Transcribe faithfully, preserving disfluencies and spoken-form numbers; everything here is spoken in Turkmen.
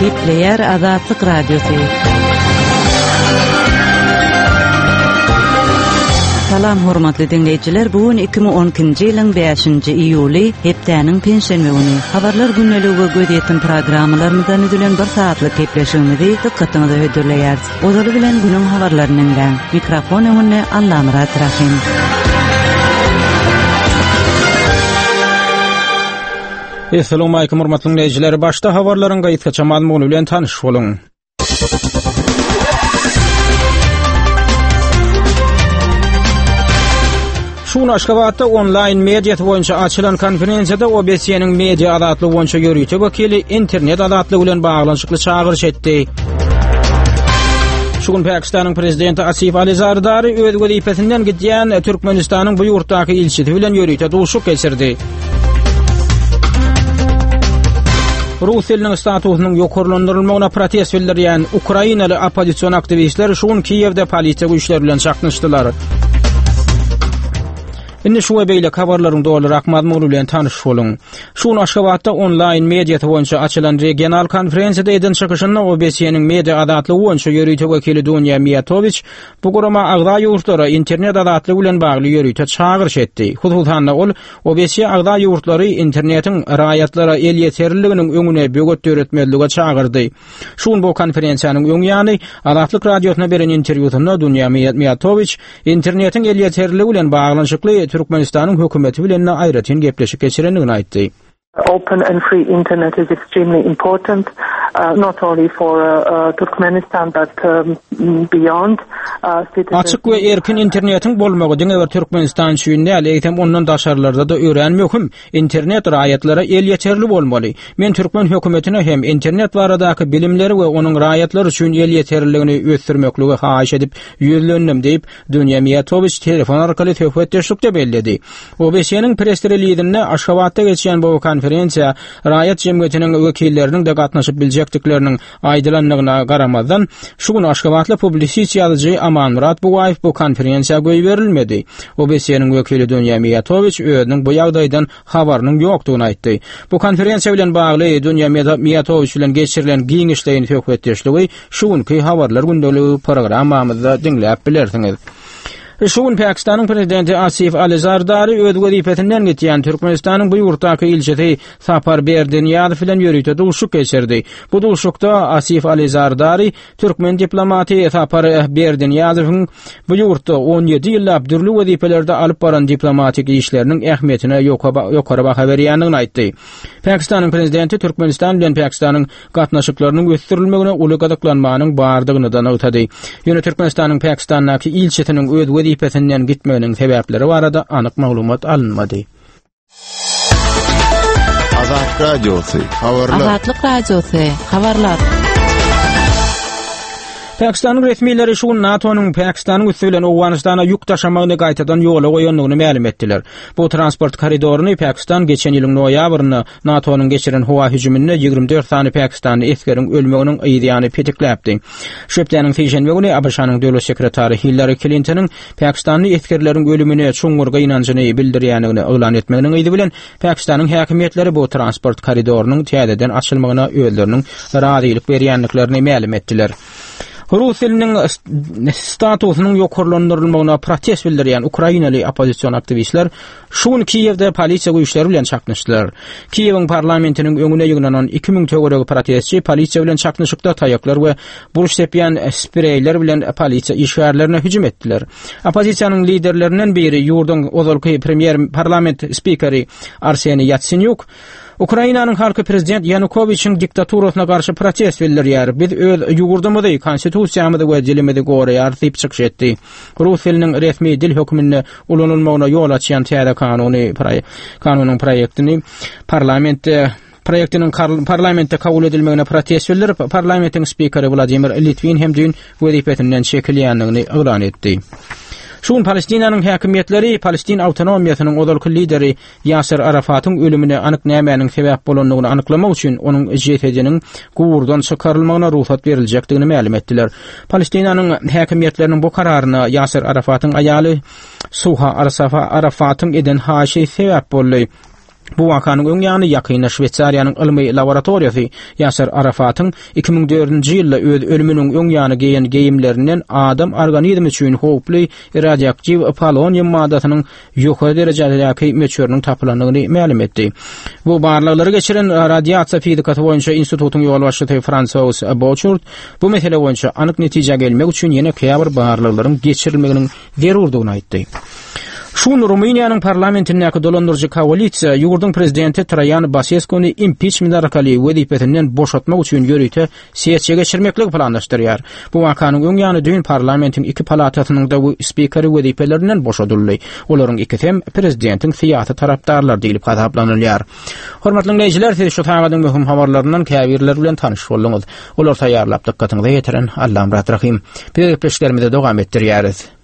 Gepleýär Azatlyk Radiosy. Salam hormatly diňleýjiler, bu gün iki müň on ikinji ýylyň bäşinji iýuly, hepdäniň penşenbe güni. Habarlar gündeligi we gözýetim programmalarymyzdan düzülen bir saatlyk gepleşigimizi dykgatyňyza hödürleýäris. Ozaly bilen günüň habarlaryny diňläň. Mikrofon öňünde Allamyrat Rahim. Essalamu alaykum hormatly dinleýjiler. Başda habarlaryň gysgaça mazmuny bilen tanyş boluň. Şu gün Aşgabatda onlaýn mediasy boýunça açylan konferensiýada O B S E-niň media azatlygy boýunça ýörite wekili internet azatlygy bilen baglanyşykly çagyryş etdi. Şu gün Pakistanyň prezidenti Asif Ali Zardari öz wezipesinden gidýän Türkmenistanyň bu ýurtdaky ilçisi bilen ýörite duşuşyk geçirdi. Rus diliniň statusynyň ýokarlandyrylmagyna protest bildirýän Ukrainaly oppozision aktiwistler şu gün Kiýewde polisiýa güýçleri bilen çaknyşdylar. Indi şu we beýleki habarlaryň dolyrak mazmuny bilen tanyş boluň. Şu gün Aşgabatda onlaýn mediasy boýunça açylan regional konferensiýada eden çykyşynda O B S E-niň media azatlygy boýunça ýörite wekili Dunýa Miýatowiç bu gurama agza ýurtlara internet azatlygy bilen bagly ýörite çagyryş etdi. Hususan-da ol O B S E agza ýurtlary internetiň raýatlara elýeterliliginiň öňüne böwet döretmezlige çagyrdy. Şu gün bu konferensiýanyň öň ýany Azatlyk radiosyna beren interwýusynda Dunýa Miýatowiç internetiň elýeterliligi bilen baglanyşykly Türkmenistanyň hökümeti bilen aýratyn gepleşik geçirendigini aýtdy. Open and free internet is extremely important, uh, not only for, uh, uh, Turkmenistan but, um, beyond. Uh, citizens Açyk we erkin internetiň bolmagy diňe bir Türkmenistan üçin däl, eýsem ondan daşarlarda da örän möhüm. Internet raýatlara elýeterli bolmaly. Men türkmen hökümetine hem internet baradaky bilimleri we onuň raýatlar üçin elýeterliligini ösdürmekligi haýyş edip ýüzlendim diýip, Dunýa Miýatowiç telefon arkaly söhbetdeşlikde belledi. O B S E-niň press relizinde Aşgabatda geçýän bu konferensiýa raýat jemgyýetiniň wekilleriniň de gatnaşyp biljekdikleriniň aýdylandygyna garamazdan, şu gün Aşgabatly publisist ýazyjy Amanmyrat Bugaýew bu konferensiýa goýberilmedi. O B S E-niň wekili Dunýa Miýatowiç özüniň bu ýagdaýdan habarynyň ýokdugyny aýtdy. Bu konferensiýa bilen bagly Dunýa Miýatowiç bilen geçirilen giňişleýin söhbetdeşligi şu günki habarlar gündeligi programmamyzda diňläp bilersiňiz. Şu gün Pakistanyň prezidenti Asif Ali Zardari öz wezipesinden gitýän Türkmenistanyň bu ýurtdaky ilçisi Sapar Berdinyýazow bilen ýörite duşuşyk geçirdi. Bu duşuşykda Asif Ali Zardari türkmen diplomaty Sapar Berdinyýazowyň bu ýurtda on ýedi ýyllap dürli wezipelerde alyp baran diplomatik işleriniň ähmiýetine ýokary baha berýändigini aýtdy. Pakistanyň prezidenti Türkmenistan bilen Pakistanyň gatnaşyklarynyň ösdürilmegine uly gyzyklanmanyň bardygyny da nygtady. Ýöne Türkmenistanyň Pakistandaky ilçisiniň öz wezipesinden gitmeginiň sebäpleri barada anyk maglumat alynmady. Azatlyk Radiosy, habarlar. Azatlyk Radiosy, habarlar. Pakistanyň resmileri şu gün NATO-nyň Pakistanyň üsti bilen Owganystana ýük daşamagyny gaýtadan ýola goýandygyny mälim etdiler. Bu transport koridoryny Pakistan geçen ýylyň noýabrynda NATO-nyň geçiren howa hüjüminde ýigrimi dört sany pakistanly esgeriň ölmeginiň yzýany petikläpdi. Şu hepdäniň sişenbe güni A B Ş-nyň döwlet sekretary Hillary Klintonyň pakistanly esgerleriň ölümine çuňňur gynanjyny bildirýändigini yglan etmeginiň yzy bilen Pakistanyň häkimiýetleri bu transport koridorynyň täzeden açylmagyna özleriniň razylyk berýändiklerini mälim etdiler. Rus diliniň statusynyň ýokarlandyrylmagyna protest bildirýän ukrainaly oppozision aktiwistler şu gün Kiýewde polisiýa güýçleri bilen çaknyşdylar. Kiýewiň parlamentiniň öňüne ýygnanan iki müň töweregi protestçi polisiýa bilen çaknyşykda taýaklar we burç sepýän spreýler bilen polisiýa işgärlerine hüjüm etdiler. Oppozisiýanyň liderlerinden biri ýurduň ozalky premýer parlament spikeri Arseniý Ýatsenýuk Ukrainanyň halky prezident Ýanukowiçiň diktaturasyna garşy protest bildirýär. Biz öz ýurdumyzy, konstitusiýamyzy we dilimizi goraýarys diýip çykyş etdi. Rus diliniň resmi dil hökmünde ulanylmagyna ýol açýan täze kanuny kanunyň proýektini parlamentde proýektiniň parlamentde kabul edilmegine protest bildirip, parlamentiň spikeri Wladimir Litwin hem düýn wezipesinden çekilýändigini yglan etdi. Şu gün Palestinanyň häkimiýetleri Palestin awtonomiýasynyň ozalky lideri Ýasir Arafatyň ölümine anyk nämäniň sebäp bolandygyny anyklamak üçin onuň jesediniň guburdan çykarylmagyna rugsat beriljekdigini mälim etdiler. Palestinanyň häkimiýetleriniň bu kararyna Ýasir Arafatyň aýaly Suha Arafatyň eden haýyşy sebäp boldy. Bu wakanyň öň ýany ýakynda Şweýsariýanyň ylmy laboratoriýasy Ýasir Arafatyň iki müň dördünji ýylda öz ölüminiň öň ýany geýen geýimlerinden adam organizmi üçin howply radioaktiw polonium maddasynyň ýokary derejedäki möçberiniň tapylandygyny mälim etdi. Bu barlaglary geçiren radiasiýa fizikasy boýunça institutyň ýolbaşçysy Fransous Boçurt bu mesele boýunça anyk netijä gelmek üçin ýene käbir barlaglaryň geçirilmeginiň zerurdygyny aýtdy. Şu gün Rumyniýanyň parlamentindäki dolandyryjy koalisiýa ýurduň prezidenti Traýan Baseskuny impiçment arkaly wezipesinden boşatmak üçin ýörite sessiýa geçirmekligi planlaşdyrýar. Bu wakanyň öň ýany düýn parlamentiň iki palatasynyň-da spikeri wezipelerinden boşadyldy. Olaryň ikisi hem prezidentiň syýasy tarapdarlary diýlip hasaplanylýar. Hormatly diňleýjiler, siz şu sagadyň möhüm habarlaryndan käbirleri bilen tanyş bolduňyz. Olary taýýarlap dykgatyňyza ýetiren Allamyrat Rahym. Biz gepleşiklerimizi dowam etdirýäris.